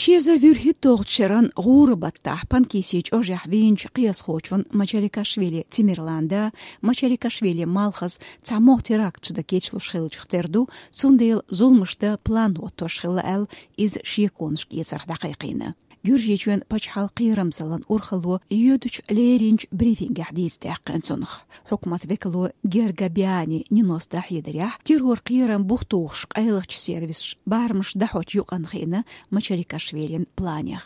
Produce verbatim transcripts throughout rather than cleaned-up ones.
Ши эзар вуьрхӀитталгӀачу шеран гӀуран баттахь Панкисин чӀожехь вийначу кхиазхочун Мачарикашвили Тимирланда, Мачарикашвили Малхаза цхьамогӀа теракташ дан кечлуш хиллачух тера ду, цундела зуламаш дан план хӀоттош хилла аьлла, иза шеконашка эцарх дӀакхайкхийна. Гуьржийчоьнан пачхьалкхан кхерамзаллин урхалло йоьдучу леринчу брифингехь дийца даьккхина цунах. Хьукмат векало Гергабиани Нинос дӀахьедарехь, террор кхерам бух тухуш къайлахчу сервисаш барамаш дӀахьочу юкъанна хиъна Мачарикашвилин планех.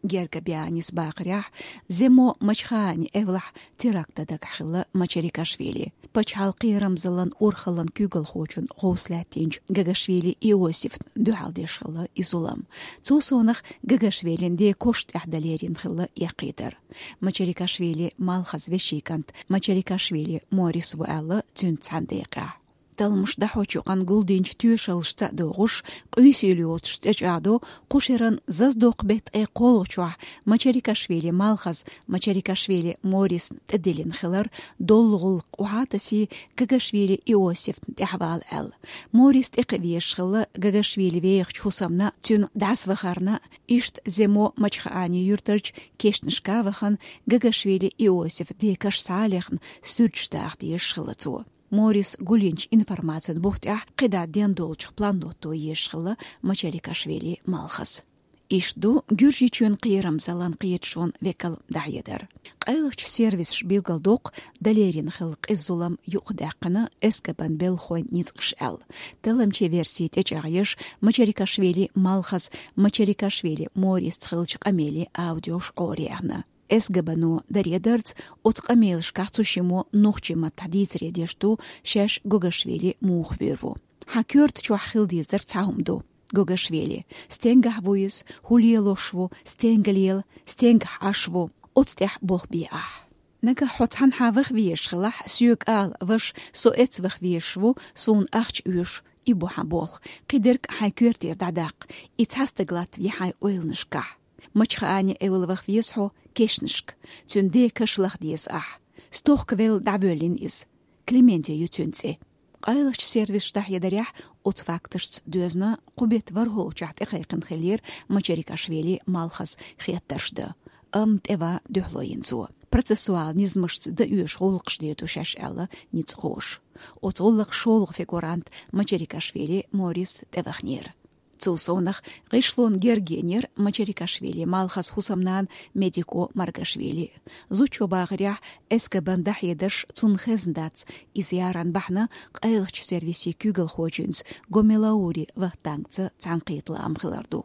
Гергабианис бахарехь, Земо Мачхаани эвлахь теракт дан дагахь хилла Мачарикашвили. Пачхьалкхан кхерамзаллин урхаллин куьйгалхочун гӀовс лаьттинчу Гагашвили Иосифна дуьхьал деш хилла и зулам. Цул совнаха Гагашвилин ден кош тӀехь дан лерина хилла эккхийтар. Мачарикашвили Малхаза вешин кӀант Мачарикашвили Морис ву аьлла цуьнца цхьана декъехь. Талламаш дӀахьочу юкъанна гулдинчу тоьшаллашца а догӀуш, къуьйсийла йоцуш цӀе чӀагӀдо кху шеран зазадоккху беттан ткъе кхоалгӀачохь Мачарикашвили Малхаза Мачарикашвили Морисна тӀедиллина хилар доллу гӀуллакх охьа а тасий, Гагашвили Иосифна тӀаьхьавала аьлла. Морис тӀекхиа везаш хилла Гагашвили вехачу хӀусамна, цуьнан дӀасавахарна, иштта Земо Мачхаани юьртарчу кешнашка а вахана, Гагашвили Иосифан ден каш схьа а лехна, суьрташ даха дезаш хилла цо. Морис гулйинчу информацин бух тӀехь кхидӀа ден долчух план хӀотто езаш хилла Мачарикашвили Малхаза. Иштта ду Гуьржийчоьнан кхерамзаллин кхеташонан векалан дӀахьедар. Къайлахчу сервисаша билгалдоккху, дан лерина хилла къиза зулам юкъадаьккхина СГБ-н белхалойн ницкъаша аьлла. Талламчийн верси тӀечӀагӀъеш, Мачарикашвили Малхаза Мачарикашвили Морисца хиллачу къамелан аудиош Ӏораяьхна. СГБ-но даредарца, оцу къамелашкахь цу шиммо нохчийн маттахь дийцаре деш ду, шаьш Гогашвили муха вуьйр ву. Хьан коьрта чохь хила дезарг цхьа хӀума ду. Гогашвили. Стенгахь ву иза, хӀун лелош ву, стенга лела, стенгахь Ӏаш ву, оцу тӀехь болх бе ахь. Нагахь хьо цхьанхьа ваха везаш хилахь, соьга ала, ваша, со эцца ваха везаш ву, суна ахча оьшу, и бу хьан болх, кхидерг хьайн коьртера дӀадаккха, и цхьа стаг латтаве хьайн ойланашкахь. Мачхаани эвла ваха веза хьо кешнашка, цуьнан ден каш лаха деза ахь. Стохка велла дӀавоьллина иза. Клементий ю цуьнан цӀе. Къайлахчу сервисаша дӀахьедарехь, оцу факташца доьзна кху беттан ворхӀалгӀачохь тӀекхайкхина хиллера Мачарикашвили Малхаза хеттарш дан. Амма тӀеван дуьхьало йина цо. Процессуал низамашца дан оьшу гӀуллакхаш дийр ду шаьш аьлла ницкъахоша. Оцу гӀуллакхан шолгӀа фигурант Мачарикашвили Морис тӀеваханера. Цул совнаха гӀишлонна герга енера Мачарикашвили Малхаза хӀусамнана Медико Маргашвили. Зудчо бахарехь, СГБ-н дӀахьедарш цунна хезна дац, иза яран бахьана къайлахчу сервисийн куьйгалхочуьнца Гомелаури Вахтангца цхьаьнакхета лаам хилар ду.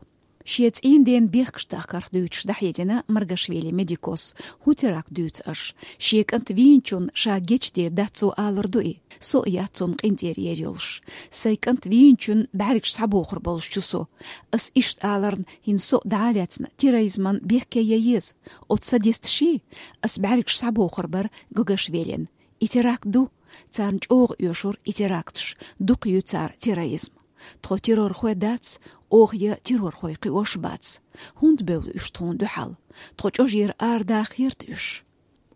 Шен цӀийнан ден бехкаш дахкарх дуьйцуш дӀахьедина Маргашвили Медикос, хӀун теракт дуьйцу аша. Шен кӀант вийначунна ша гечдийр дац цо алар ду и. Со а яц цунна къинтӀера ер йолуш. Сайн кӀант вийначун бӀаьргаш схьабохур болуш чу со. Ас иштта аларна, хӀинца со а дӀа а лаьцна, терроризман бехке ян еза. Оцу садисташий? Ас бӀаьргаш схьабохур бара Гогашвилина. И теракт ду. Царна чӀогӀа оьшура и теракташ. Дукха ю цара терроризм. Тхо террорхой дац, оха я террорхой кхиош бац. ХӀунда бевлла уьш тхуна дуьхьал? Тхо чӀожера арадаха хета уьш.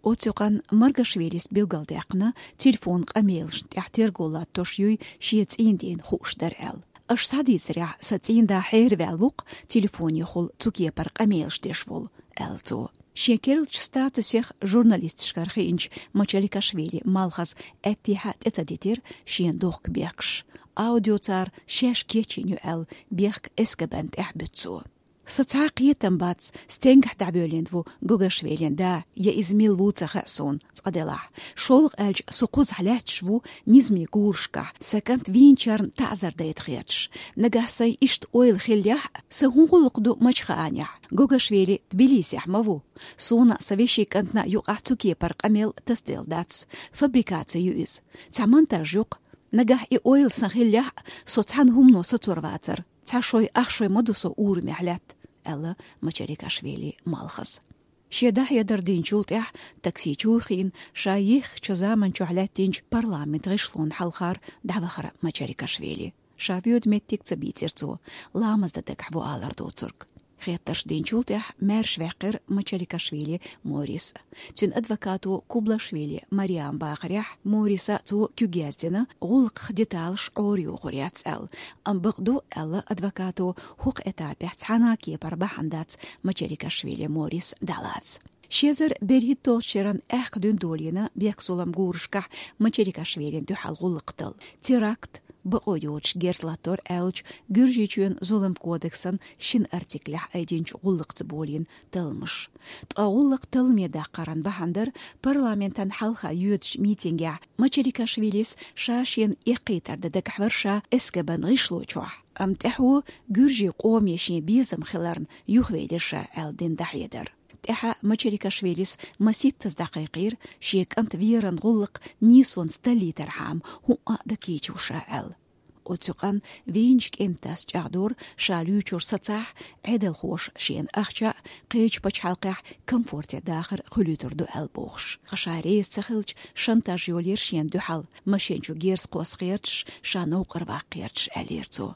Оцу юкъанна Маргашвилис билгалдаьккхина, телефон къамелашна тӀехь терго латтош юй шен цӀийнан дена хууш дара аьлла. Аша схьадийцарехь, сан цӀийнан да хьераваьлла ву-кх телефонехула цу кепара къамелаш деш волу, аьлла цо. Шен керлачу статусех журналисташкара хиъначу Мачаликашвили Малхаза аьттехьа тӀе ца дитира шен дохка бехкаш. Аудио цара шаьш кечйина ю аьлла, бехк СГБ-н тӀехь буьту цо. Сан цхьа а кхетам бац, стенгахь дӀавоьллина ву Гогашвилин да, я иза мила ву ца хаьа суна, цкъа делахь. ШолгӀа аьлча, со кхузахь лаьтташ ву низамийн гурашкахь, сан кӀант вийначарна таӀзар дайта хеташ. Нагахь сайн иштта ойла хиллехь а, сан хӀун гӀуллакх ду Мачхаанехь? Гогашвили Тбилисехь ма ву. Суна а, сан вешин кӀантана а юкъахь цу кепара къамел тасаделла дац. Фабрикаци ю иза. Цхьа монтаж ю-кх. Нагахь и ойла сан хиллехь а, со цхьана хӀумано сацор вацара. Цхьа шой, ах шой ма ду со урамехь лаьтта, аьлла Мачарикашвили Малхаза. Шен дӀахьедар динчул тӀаьхьа такси чу хиъна, ша еххачу заман чохь лаьттинчу парламент гӀишлонна хьалхара дӀавахара Мачарикашвили. Ша воьду меттиг ца бийцира цо, ламаз дан дагахь ву алар доцург. Хеттарш динчул тӀехь маьрша ваьккхира Мачарикашвили Морис. Цуьнан адвокато Кублашвили Мариам бахарехь, Мориса цо куьг яздина, гӀуллакхах деталаш Ӏорайохур яц аьлла. Амма бакъду, аьлла адвокато, хӀокху этапехь цхьана а кепара бахьана дац Мачарикашвили Морис дӀалаца. Ши эзар берхӀитталгӀачу шеран аьхка дуьнна долийна бехк-зулам гурашкахь Мачарикашвилина дуьхьал гӀуллакх дала. Теракт, бакъо йоцуш герз латтор аьллачу Гуьржийчоьнан зулам кодексан шина артиклехь айдинчу гӀуллакхца болийна талламаш. Ткъа гӀуллакх талламе даккхаран бахьана дара парламентан хьалха йоьдучу митингехь Мачарикашвилис ша шена эккхийтар дан дагахь вара ша СГБ-н гӀишло чохь. Амма тӀаьхьо гуьржийн къоме шен безам хиларна юхавелира ша аьлла дина дӀахьедар. ТӀаьхьа Мачарикашвилис маситтаза дӀакхайкхийра, шен кӀант веран гӀуллакх нийсонца таллийтархьама хӀуъа а дан кийча ву ша аьлла. Оцу юкъанна вийначу кӀентас чӀагӀдора, ша луьйчура сацахь, Ӏедалхоша шена ахча а, кхечу пачхьалкхехь комфорте дахар а хуьлуьйтур ду аьлла бохуш. Ткъа ша реза ца хилча, шантаж йолийра шена дуьхьал, машен чу герз кхосса гӀерташ, ша новкъара ваккха гӀерташ, аьллера цо.